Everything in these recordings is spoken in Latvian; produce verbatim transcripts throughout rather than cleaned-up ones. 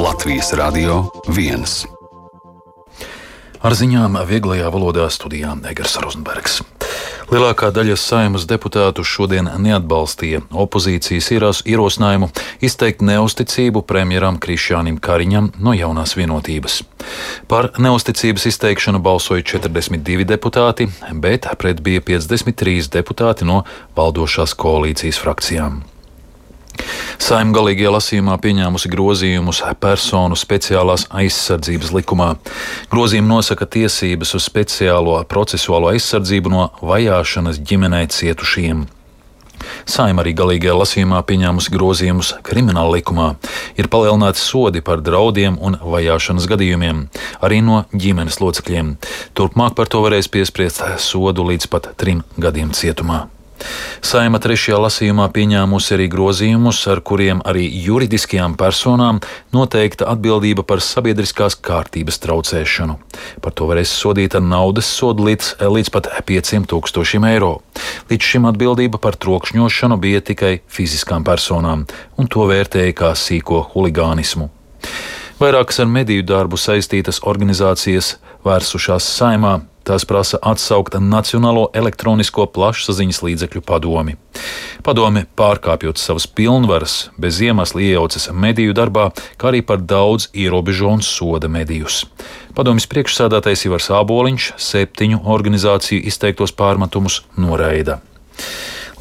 Latvijas Radio viens. Ar ziņām vieglajā valodā studijā Egers Rozenbergs. Lielākā daļa Saeimas deputātu šodien neatbalstīja opozīcijas ierosinājumu izteikt neusticību premjeram Krišjānim Kariņam no Jaunās Vienotības. Par neusticības izteikšanu balsoja četrdesmit divi deputāti, bet pret bija piecdesmit trīs deputāti no valdošās koalīcijas frakcijām. Saeima galīgajā lasījumā pieņēmusi grozījumus personu speciālās aizsardzības likumā. Grozījumi nosaka tiesības uz speciālo procesuālo aizsardzību no vajāšanas ģimenē cietušiem. Saeima arī galīgajā lasījumā pieņēmusi grozījumus krimināla likumā. Ir palielināti sodi par draudiem un vajāšanas gadījumiem, arī no ģimenes locekļiem. Turpmāk par to varēs piespriest sodu līdz pat trim gadiem cietumā. Saeima trešajā lasījumā pieņēmusi arī grozījumus, ar kuriem arī juridiskajām personām noteikta atbildība par sabiedriskās kārtības traucēšanu. Par to varēs sodīt ar naudas sodu līdz, līdz pat pieciem tūkstošiem eiro. Līdz šim atbildība par trokšņošanu bija tikai fiziskām personām, un to vērtēja kā sīko huligānismu. Vairākas ar mediju darbu saistītas organizācijas vērsušās Saeimā. Tās prasa atsaukt Nacionālo elektronisko plašsaziņas līdzekļu padomi. Padome, pārkāpjot savas pilnvaras, bez iemesla iejaucas mediju darbā, kā arī par daudz ierobežo un soda medijus. Padomes priekšsēdētājs Ivars Āboliņš septiņu organizāciju izteiktos pārmetumus noraida.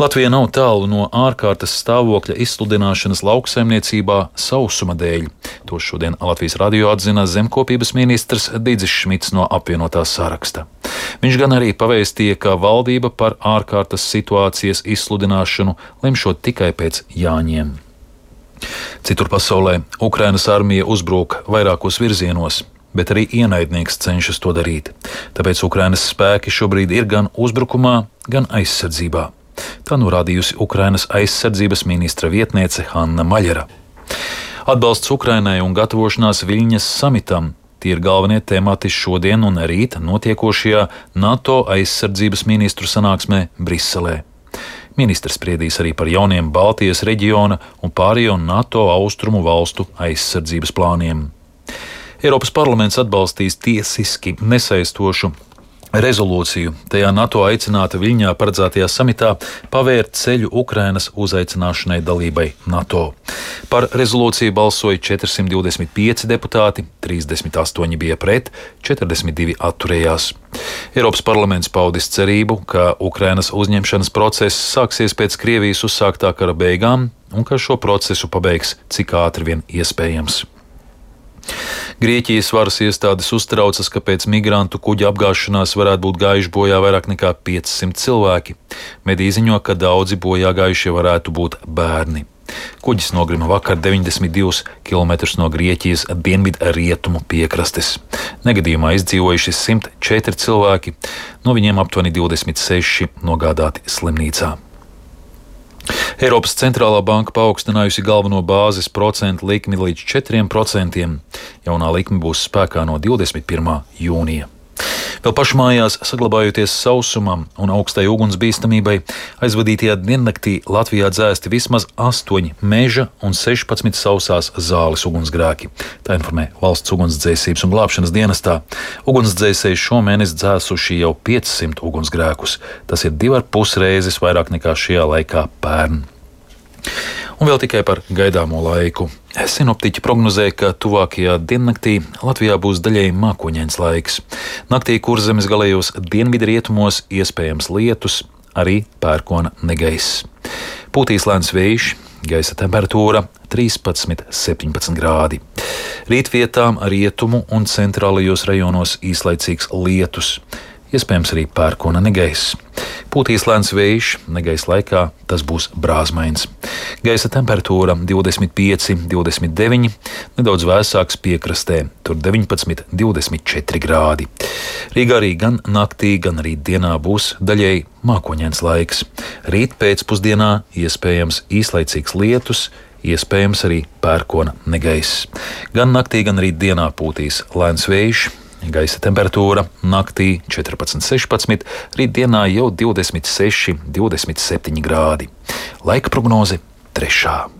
Latvija nav tālu no ārkārtas stāvokļa izsludināšanas lauksaimniecībā sausuma dēļ. To šodien Latvijas radio atzina zemkopības ministrs Didzis Šmits no apvienotā saraksta. Viņš gan arī pavēstīja, ka valdība par ārkārtas situācijas izsludināšanu lemšot tikai pēc Jāņiem. Citur pasaulē Ukrainas armija uzbrūk vairākos virzienos, bet arī ienaidnieks cenšas to darīt. Tāpēc Ukrainas spēki šobrīd ir gan uzbrukumā, gan aizsardzībā. Tā norādījusi Ukrainas aizsardzības ministra vietniece Hanna Maļera. Atbalsts Ukrainai un gatavošanās Viļņas samitam – tie ir galvenie temati šodien un rīt notiekošajā NATO aizsardzības ministru sanāksmē Briselē. Ministrs spriedīs arī par jauniem Baltijas reģiona un pārējo NATO austrumu valstu aizsardzības plāniem. Eiropas parlaments atbalstīs tiesiski nesaistošu rezolūciju. Tajā NATO aicināta Viļņā paredzētajā samitā pavērt ceļu Ukrainas uzaicināšanai dalībai NATO. Par rezolūciju balsoja četrsimt divdesmit pieci deputāti, trīsdesmit astoņi bija pret, četrdesmit divi atturējās. Eiropas parlaments paudis cerību, ka Ukrainas uzņemšanas process sāksies pēc Krievijas uzsāktā kara beigām un ka šo procesu pabeigs cik ātri vien iespējams. Grieķijas varas iestādes uztraucas, ka pēc migrantu kuģa apgāšanās varētu būt gājuši bojā vairāk nekā piecsimt cilvēki. Mediji ziņo, ka daudzi bojā gājušie varētu būt bērni. Kuģis nogrima vakar deviņdesmit divus kilometrus no Grieķijas dienvidrietumu piekrastes. Negadījumā izdzīvojuši simt četri cilvēki, no viņiem aptuveni divdesmit seši nogādāti slimnīcā. Eiropas centrālā banka paaugstinājusi galveno bāzes procentu likmi līdz četriem procentiem. Jaunā likme būs spēkā no divdesmit pirmā jūnija. Vēl pašmājās, saglabājoties sausumam un augstai ugunsbīstamībai, aizvadītajā diennaktī Latvijā dzēsti vismaz astoņi meža un sešpadsmit sausās zāles ugunsgrēki. Tā informē Valsts ugunsdzēsības un glābšanas dienestā. Ugunsdzēsēji šomēnes dzēsuši jau piecsimt ugunsgrēkus. Tas ir divi ar pus reizes vairāk nekā šajā laikā pērn. Un vēl tikai par gaidāmo laiku. Sinoptiķi prognozē, ka tuvākajā diennaktī Latvijā būs daļēji mākoņains laiks. Naktī Kurzemes galējos dienvidrietumos iespējams lietus, arī pērkona negaiss. Pūtīs lēns vējš, gaisa temperatūra trīspadsmit līdz septiņpadsmit grādi. Rītvietām rietumu un centrālajos rajonos īslaicīgs lietus. Iespējams arī pērkona negaiss. Pūtīs lēns vējš, negaisa laikā tas būs brāzmains. Gaisa temperatūra divdesmit pieci līdz divdesmit deviņi, nedaudz vēsāks piekrastē, tur deviņpadsmit līdz divdesmit četri grādi. Rīgā arī gan naktī, gan arī dienā būs daļēji mākoņains laiks. Rīt pēcpusdienā iespējams īslaicīgs lietus, iespējams arī pērkona negaiss. Gan naktī, gan arī dienā pūtīs lēns vējš. Gaisa temperatūra naktī četrpadsmit līdz sešpadsmit, rītdienā jau divdesmit seši līdz divdesmit septiņi grādi. Laika prognoze trešā.